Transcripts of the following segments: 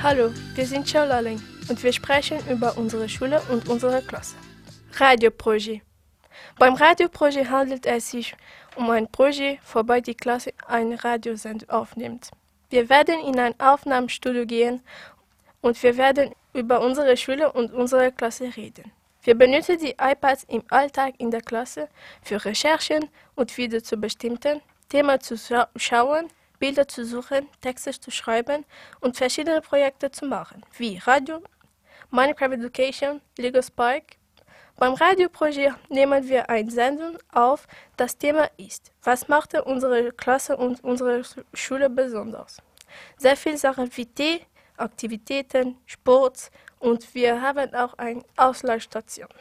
Hallo, wir sind Schaulalling und wir sprechen über unsere Schule und unsere Klasse. Radioproje. Beim Radioproje handelt es sich um ein Projekt, wobei die Klasse ein Radiosend aufnimmt. Wir werden in ein Aufnahmestudio gehen und wir werden über unsere Schule und unsere Klasse reden. Wir benutzen die iPads im Alltag in der Klasse für Recherchen und wieder zu bestimmten Themen zu schauen, Bilder zu suchen, Texte zu schreiben und verschiedene Projekte zu machen, wie Radio, Minecraft Education, Lego Spike. Beim Radioprojekt nehmen wir ein Sendung auf, das Thema ist: Was macht unsere Klasse und unsere Schule besonders? Sehr viele Sachen wie Tee, Aktivitäten, Sport und wir haben auch eine Ausleihstation.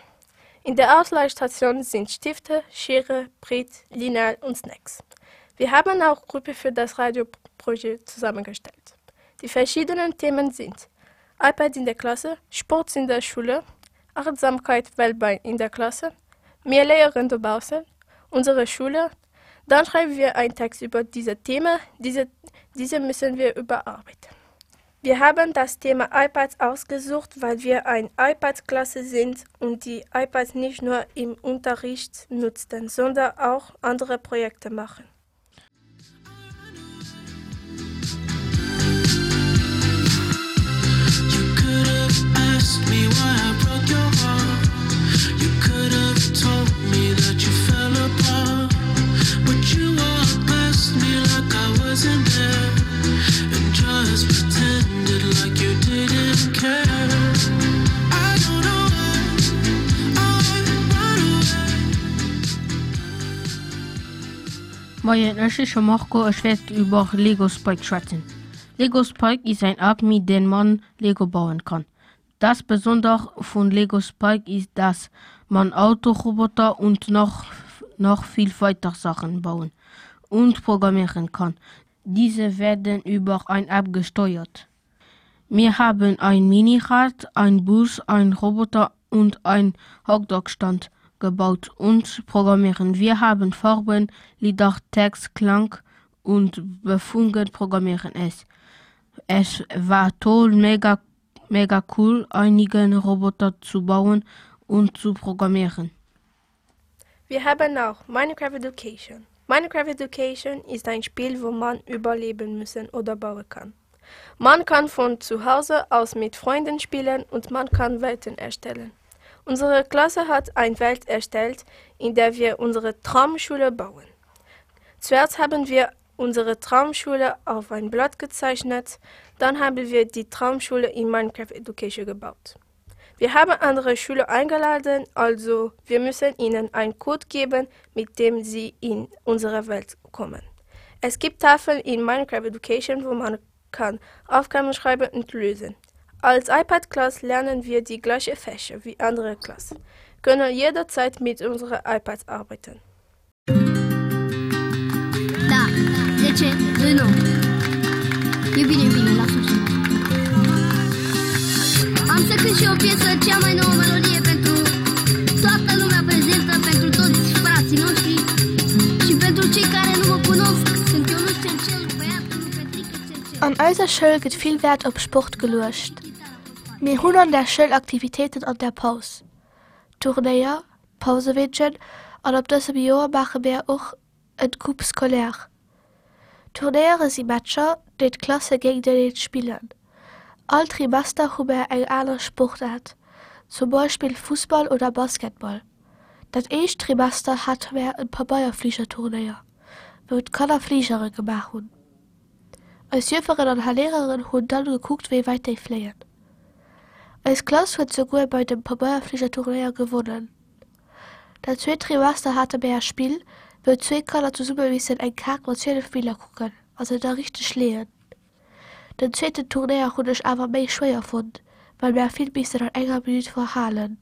In der Ausleihstation sind Stifte, Schere, Brett, Lineal und Snacks. Wir haben auch Gruppe für das Radioprojekt zusammengestellt. Die verschiedenen Themen sind iPad in der Klasse, Sport in der Schule, Achtsamkeit weltweit in der Klasse, mehr Lehrerinnen draußen, unsere Schule. Dann schreiben wir einen Text über diese Themen, diese, diese müssen wir überarbeiten. Wir haben das Thema iPads ausgesucht, weil wir ein iPad-Klasse sind und die iPads nicht nur im Unterricht nutzten, sondern auch andere Projekte machen. Moien, ech heesche Marco, ech wäert iwwer Lego Spike schwätzen. Lego Spike is ein App mit dem man Lego bauen kann. Das Besondere von Lego Spike is dass man Autoroboter und noch noch viel weiter Sachen bauen und programmieren kann. Diese werden über ein App gesteuert. Wir haben ein Minirad, ein Bus, ein Roboter und ein Hotdog-Stand gebaut und programmieren. Wir haben Farben, Lieder, Text, Klang und Befungen programmieren es. Es war toll, mega, mega cool, einigen Roboter zu bauen und zu programmieren. Wir haben auch Minecraft Education. Minecraft Education ist ein Spiel, wo man überleben müssen oder bauen kann. Man kann von zu Hause aus mit Freunden spielen und man kann Welten erstellen. Unsere Klasse hat eine Welt erstellt, in der wir unsere Traumschule bauen. Zuerst haben wir unsere Traumschule auf ein Blatt gezeichnet, dann haben wir die Traumschule in Minecraft Education gebaut. Wir haben andere Schüler eingeladen, also wir müssen ihnen einen Code geben, mit dem sie in unsere Welt kommen. Es gibt Tafeln in Minecraft Education, wo man kann Aufgaben schreiben und lösen. Als iPad-Klasse lernen wir die gleiche Fächer wie andere Klassen, können jederzeit mit unseren iPads arbeiten. Da, 10, 1. E bine, e bine, lasă Am să cânt și o piesă, cea mai nouă melodie pentru toată lumea prezentă, pentru toți frații noștri și pentru cei care nu mă cunosc. Sunt Ionuț Cercel, băiatul lui Petrică Cercel. An eiser Schoul gëtt vill Wäert op Sport geluecht. Mir hunn an der Schoul Aktivitéiten an der Paus, Turnéier, Pauseweedchen an op dësem Joer maache mär och en Coupe scolaire. Turnéiere si Matcher, déi d'Klasse géinteneen spillen. All Trimester hu mär eng aner Sportaart, zum Beispill Fussball oder Basketball. Dat éischt Trimester hate mär en Pabeierfligerturnéier, wou d'Kanner Fligere gemaach hunn. Eis Jëfferen an Lehrerinnen hunn dann gekuckt wéi wäit déi fléien. Eis Klass huet souguer bei dem Pabeierfligerturnéier gewonnen. Dat zweet Trimester hate mär e Spill, wou zwéi Kanner zesumme missen eng Kaart mat 12 Biller kucken a se da richteg leeën. Den zweeten Turnéier hunn ech awer méi schwéier fonnt, well mär vill missen an enger Minutt verhalen.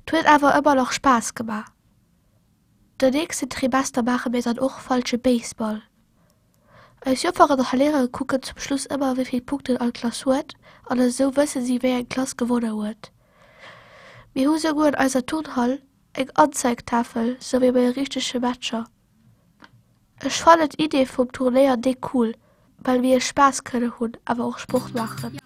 't huet awer ëmmer nach Spaass gemaach. Den nächsten Trimester maache mir dann och falsche Baseball. Eis Jofferen a Lehrere kucken zum Schluss ëmmer wéi vill Punkten all Klass huet an esou wësse si wéi eng Klass gewonne huet. Mir hu souguer an eiser Turnhall eng Anzeigtafel sou wéi bei richtege Matcher. Ech fannen d'Idee vum Turnéier déck cool. Well mir Spaass kënne hunn, awer och Sport maachen.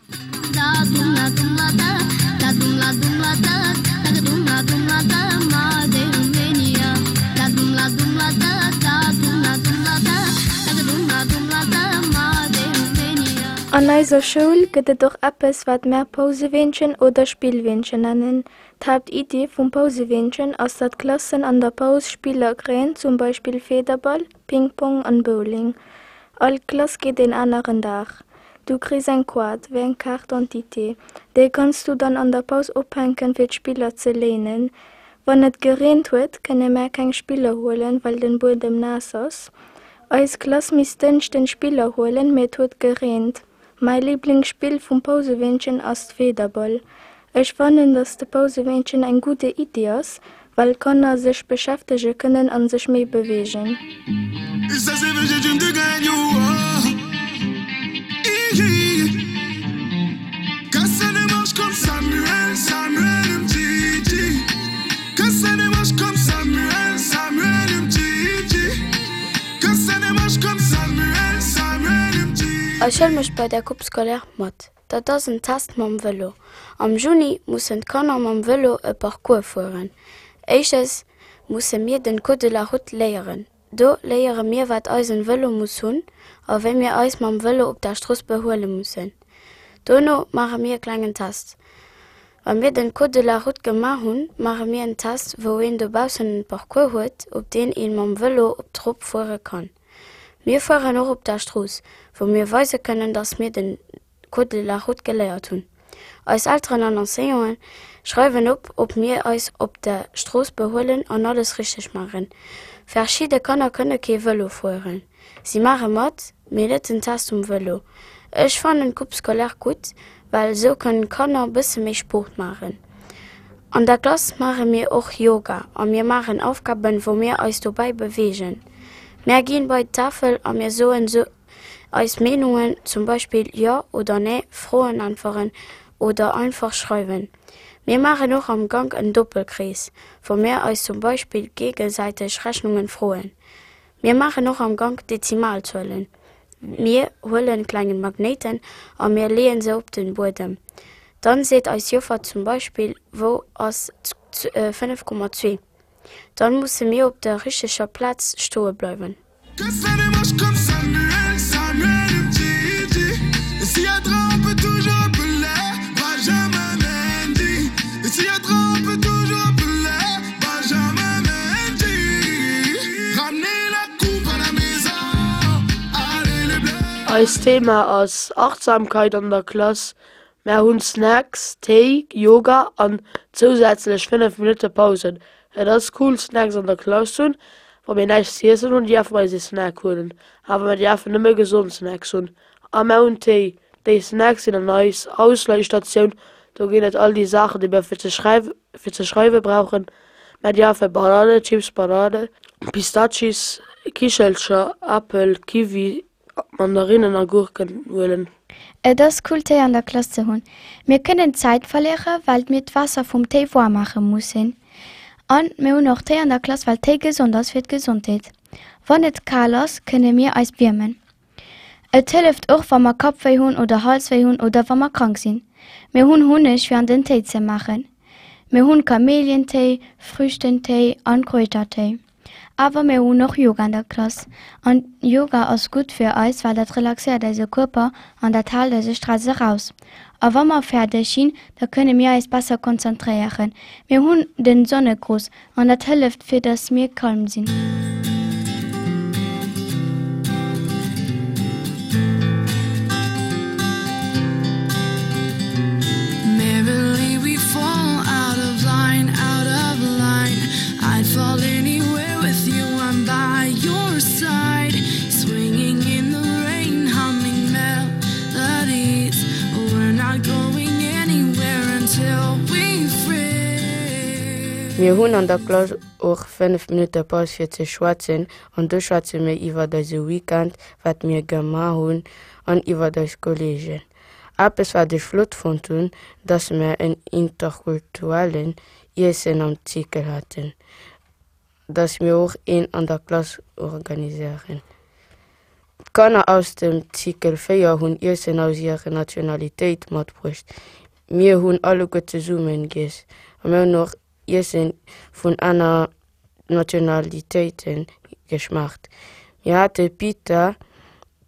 An eiser Schoul gëtt et och eppes, wat mär Pauseweenchen oder Spillweenchen nennen. D'Haaptiddi vum Pauseweenchen ass, datt d'Klassen an der Paus Spiller kréien, zum Beispill Federball, Ping-Pong an Bowling. All Klass geet een aneren Dag. Du kriss eng Koart, wéi eng Carte d'identité. Déi kanns du dann an der Paus ophänken fir d'Spiller ze léinen. Wann et gereent huet, kënne mär keng Spiller huelen, well den Buedem naass ass. Eis Klass misst Dënschden Spiller huelen, mee et huet gereent. Mäi Liblingsspill vum Pauseweenchen ass d'Federball. Ech fannen, dass de Pauseweenchen eng gudde Iddi ass, well d'Kanner sech beschäftege kënnen an sech méi beweegen. Eis Schoul mécht bei der Coupe scolaire mat. Dat ass en Test mam Vëlo. Am Juni mussen d'Kanner mam Vëlo e Parcours fueren. Éischtens musse mir den Code de la route léieren. Do léiere mir wat eisen Vëlo muss hunn a wéi mir eis mam Vëlo op der Strooss behuele mussen. Dono maache mir e klengen Test. Wa mir den Code de la route gemaach hunn, maache mir en Test wou een dobaussen en Parcours huet op deen een mam Vëlo op d'Rop fuere kann. Mir fueren och op der Strooss, wou mir weise kënnen, dass mir den Code de la route geléiert hunn. Eis Elteren an Enseignanten schreiwen op, ob mir eis op der Strooss behuelen an alles richteg maachen. Verschidde Kanner kënne kee Vëlo fueren. Si maache mat, mee net den Test um Vëlo. Ech fannen d'Coupe scolaire gutt, well esou kënnen d'Kanner bësse méi Sport maachen. An der Klass maache mir och Yoga a mir maachen Aufgaben, wou mir eis dobäi beweegen. Mär ginn bei d'Tafel a mir soen eis Meenungen, zum Beispill Jo oder Nee, Froen äntweren oder einfach schreiwen. Mir maachen och am Gank en Doppelkrees, wou mir eis zum Beispill géigesäiteg Rechnungen froen. Mir maachen och am Gank Dezimalzuelen. Mir huelen klengen Magnéiten a mir leeën se op den Buedem. Dann seet eis Joffer zum Beispill wou ass 5,2. Dann musse mir op der richteger Plaz stoe bleiwen. Eist Thema ass Achtsamkeit an der Klass. Mär hunn Snacks, Téi, Yoga an zousätzlech 5 Minutte Pausen. Et ass cool Snacks an der Klass ze hunn. Wa mir näischt z'iessen hunn, dierfe mer eis ee Snack huelen, awer mer dierfen nëmme gesond Snacks hunn. A mär hunn Téi. Déi Snacks sinn an eis Ausleihstatioun, do ginn et all déi Saachen, déi mer fir ze fir ze schreiwe brauchen. Mär dierfe Banane, Chips, Banane, Pistachis, Kichelcher, Apel, Kiwi, Mandarinnen a Gurken huelen. Et ass cool Téi an der Klass ze hunn. Mir kënnen Zäit verléiere well mir d'Waasser vum Téi waarm maache mussen. An mir hunn och Téi an der Klass well Téi gesond ass fir d'Gesondheet. Wann et kal ass kënne mir eis wiermen. Et hëlleft och wa mer Kappwéi hunn oder Halswéi hunn oder wa mer krank sinn. Mir hunn Hunneg fir an den Téi ze maachen. Mir hunn Kamelientéi, Früchtentéi an Kräutertéi. Awer mir hunn och Yoga an der Klass. An Yoga ass gutt fir eis, well dat relaxéiert eise Kierper an dat haalt eise Stress eraus. A wa mer fäerdeg sinn, da kënne mir eis besser konzentréieren. Mir hunn den Sonnegruss an dat hëlleft fir dass mir calm sinn. Mir hunn an der Klass och 5 Minutte Paus fir ze schwätzen an do schwätze mir iwwert eise Weekend, wat mir gemaach hunn an iwwert eis Kolleegen. Eppes wat ech flott fonnt hunn, dass mer en interkulturellen Iessen am Zykel haten, dass mir och een an der Klass organiséieren. D'Kanner aus dem Cycle 4 hunn Iessen aus hirer Nationalitéit matbruecht. Mir hunn alleguer zesummen giess a mir hunn och Iessen vun aner Nationalitéiten geschmaacht. Mir hate Pita.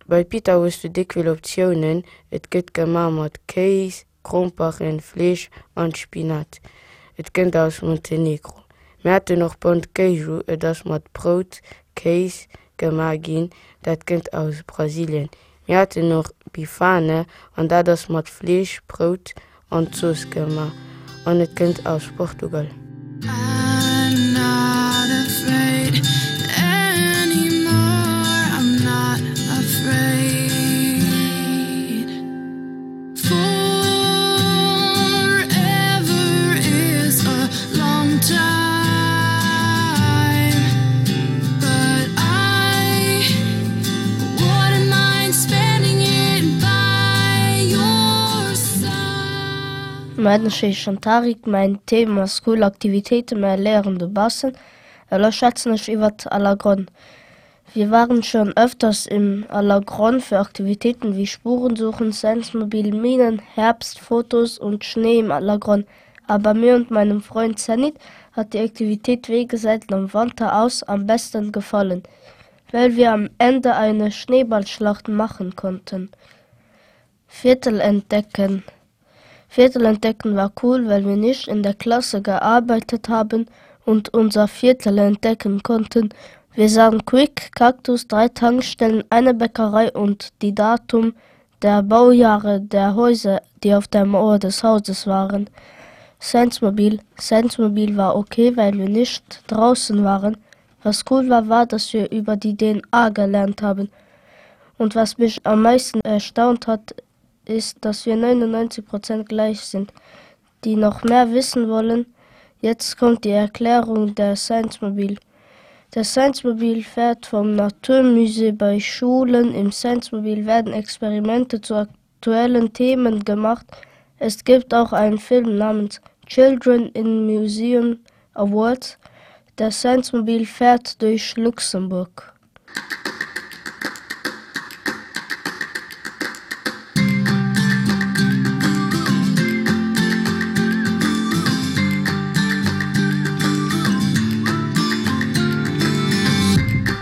Bei Pita hues du déck vill Optiounen. Et gëtt gemaach mat Kéis, Gromperen, Fleesch an Spinat. Et kënnt aus Montenegro. Mir haten och Pão de Queijo, et ass mat Brout, Kéis gemaach ginn, dat kënnt aus Brasilien. Mir haten och Bifane an dat ass mat Fleesch, Brout an Zooss gemaach an et kënnt aus Portugal. I'm not afraid anymore I'm not afraid Forever is a long time But I wouldn't mind spending it by your side Mäin heeschen Tarik, mäin Thema ass cool Aktivitéiten, mär léieren dobaussen. Elo schwätzen ech iwwert Allergronn. Wir waren schon öfters im Allergronn für Aktivitäten wie Spurensuchen, Sciencemobil, Minen, Herbst, Fotos und Schnee im Allergronn. Aber mir und meinem Freund Zenit hat die Aktivität Wegeseiten am Wanter aus am besten gefallen, weil wir am Ende eine Schneeballschlacht machen konnten. Viertel entdecken. Viertel entdecken war cool, weil wir nicht in der Klasse gearbeitet haben und unser Viertel entdecken konnten. Wir sahen Quick, Kaktus, drei Tankstellen, eine Bäckerei und die Datum der Baujahre der Häuser, die auf der Mauer des Hauses waren. Sciencemobil Sciencemobil war okay, weil wir nicht draußen waren. Was cool war, war, dass wir über die DNA gelernt haben. Und was mich am meisten erstaunt hat, ist, dass wir 99 Prozent gleich sind. Die noch mehr wissen wollen, jetzt kommt die Erklärung der Sciencemobil. Der Sciencemobil fährt vom Naturmusée bei Schulen. Im Sciencemobil werden Experimente zu aktuellen Themen gemacht. Es gibt auch einen Film namens Children in Museum Awards. Der Sciencemobil fährt durch Luxemburg.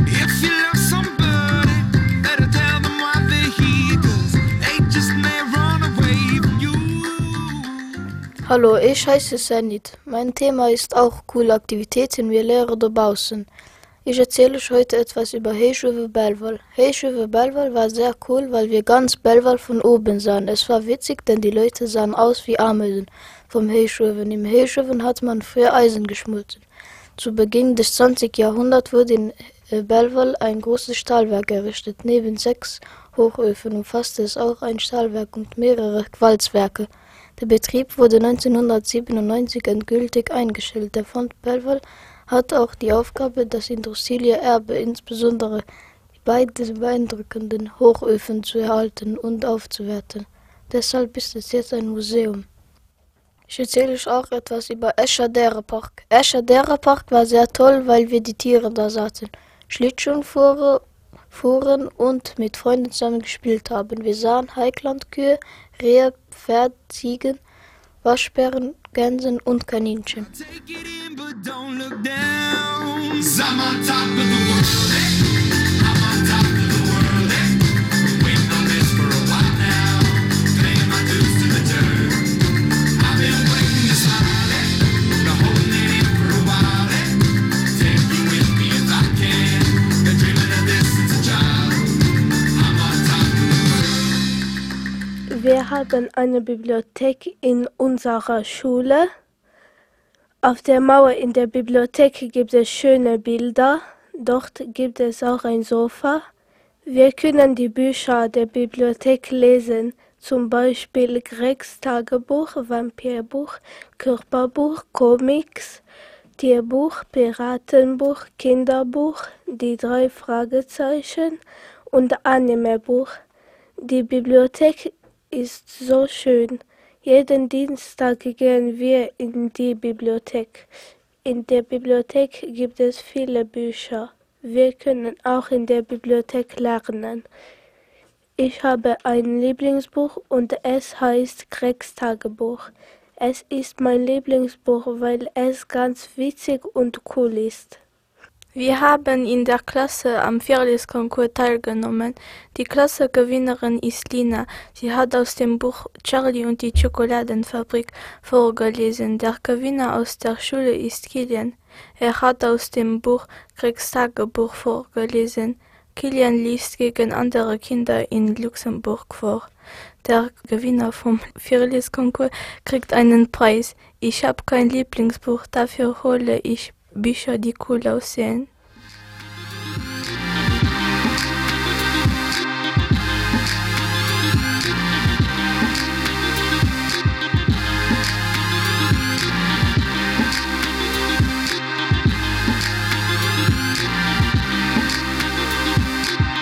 If you love somebody, better tell them why they're here, 'cause they just may run away from you. Hallo, ich heiße Senit. Mein Thema ist auch coole Aktivitäten wir Lehrer dobaußen. Ich erzähle euch heute etwas über Héichuewe Belval. Héichuewe Belval war sehr cool, weil wir ganz Belval von oben sahen. Es war witzig, denn die Leute sahen aus wie Ameisen vom Héichuewen. Im Héichuewen hat man früher Eisen geschmolzen. Zu Beginn des 20. Jahrhunderts wurde in äh, Belval ein großes Stahlwerk errichtet. Neben sechs Hochöfen umfasste es auch ein Stahlwerk und mehrere Walzwerke. Der Betrieb wurde 1997 endgültig eingestellt. Der Fond Belval hat auch die Aufgabe, das Industrieerbe, insbesondere die beiden beeindruckenden Hochöfen zu erhalten und aufzuwerten. Deshalb ist es jetzt ein Museum. Ich erzähle euch auch etwas über Escher Därepark. Escher Därepark war sehr toll, weil wir die Tiere da saßen. Schlittschuhen fuhren, fuhren und mit Freunden zusammen gespielt haben. Wir sahen Heiklandkühe, Rehe, Pferd, Ziegen, Waschbären, Gänsen und Kaninchen. Take it in, but don't look down. 'Cause I'm on top of the world, eh? I'm on top of the world, eh? Been waiting on this for a while now. Paying my dues to the dirt. I've been waiting to smile, eh? Been holding it in for a while, eh? Take you with me if I can. Been dreaming of this since a child. I'm on top of the world. Wir haben eine Bibliothek in unserer Schule. Auf der Mauer in der Bibliothek gibt es schöne Bilder. Dort gibt es auch ein Sofa. Wir können die Bücher der Bibliothek lesen, zum Beispiel Gregs Tagebuch, Vampirbuch, Körperbuch, Comics, Tierbuch, Piratenbuch, Kinderbuch, die drei Fragezeichen und Animebuch. Die Bibliothek ist so schön. Jeden Dienstag gehen wir in die Bibliothek. In der Bibliothek gibt es viele Bücher. Wir können auch in der Bibliothek lernen. Ich habe ein Lieblingsbuch und es heißt Gregs Tagebuch. Es ist mein Lieblingsbuch, weil es ganz witzig und cool ist. Wir haben in der Klasse am Virleskonkur teilgenommen. Die Klassegewinnerin ist Lina. Sie hat aus dem Buch Charlie und die Schokoladenfabrik vorgelesen. Der Gewinner aus der Schule ist Kilian. Er hat aus dem Buch Gregs Tagebuch vorgelesen. Kilian liest gegen andere Kinder in Luxemburg vor. Der Gewinner vom Virleskonkur kriegt einen Preis. Ich habe kein Lieblingsbuch, dafür hole ich Bücher, die cool aussehen.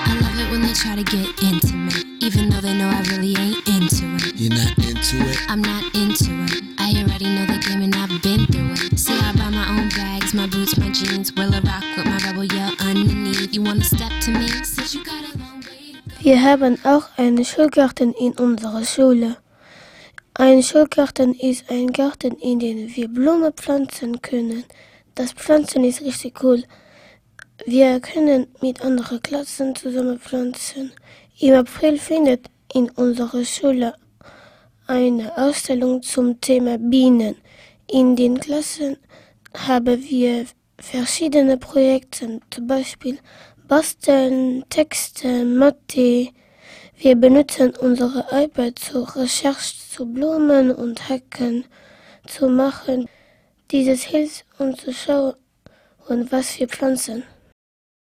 I love it when they try to get intimate, even though they know I really ain't into it. You're not into it? I'm not into it. I already know the game and I've been through it. See, I buy my own bags, my boots, my jeans. Will I rock with my rebel yell underneath? You wanna step to me? Since you got a long way to Wir haben auch einen Schulgarten in unserer Schule. Ein Schulgarten ist ein Garten, in dem wir Blumen pflanzen können. Das Pflanzen ist richtig cool. Wir können mit anderen Klassen zusammen pflanzen. Im April findet in unserer Schule eine Ausstellung zum Thema Bienen. In den Klassen haben wir verschiedene Projekte, zum Beispiel Basteln, Texte, Mathe. Wir benutzen unsere iPad zur Recherche zu Blumen und Hecken zu machen. Dieses hilft uns zu schauen, was wir pflanzen.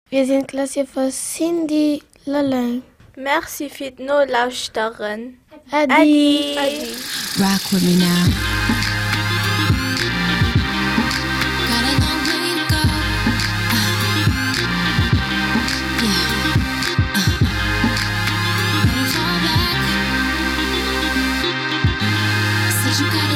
Wir sind Klasse von Cindy Lalin. Merci fir d'Nolauschteren. Äddi. Rock with me now. Got a long way to go. Uh, yeah. Uh, better fall back. Said you got a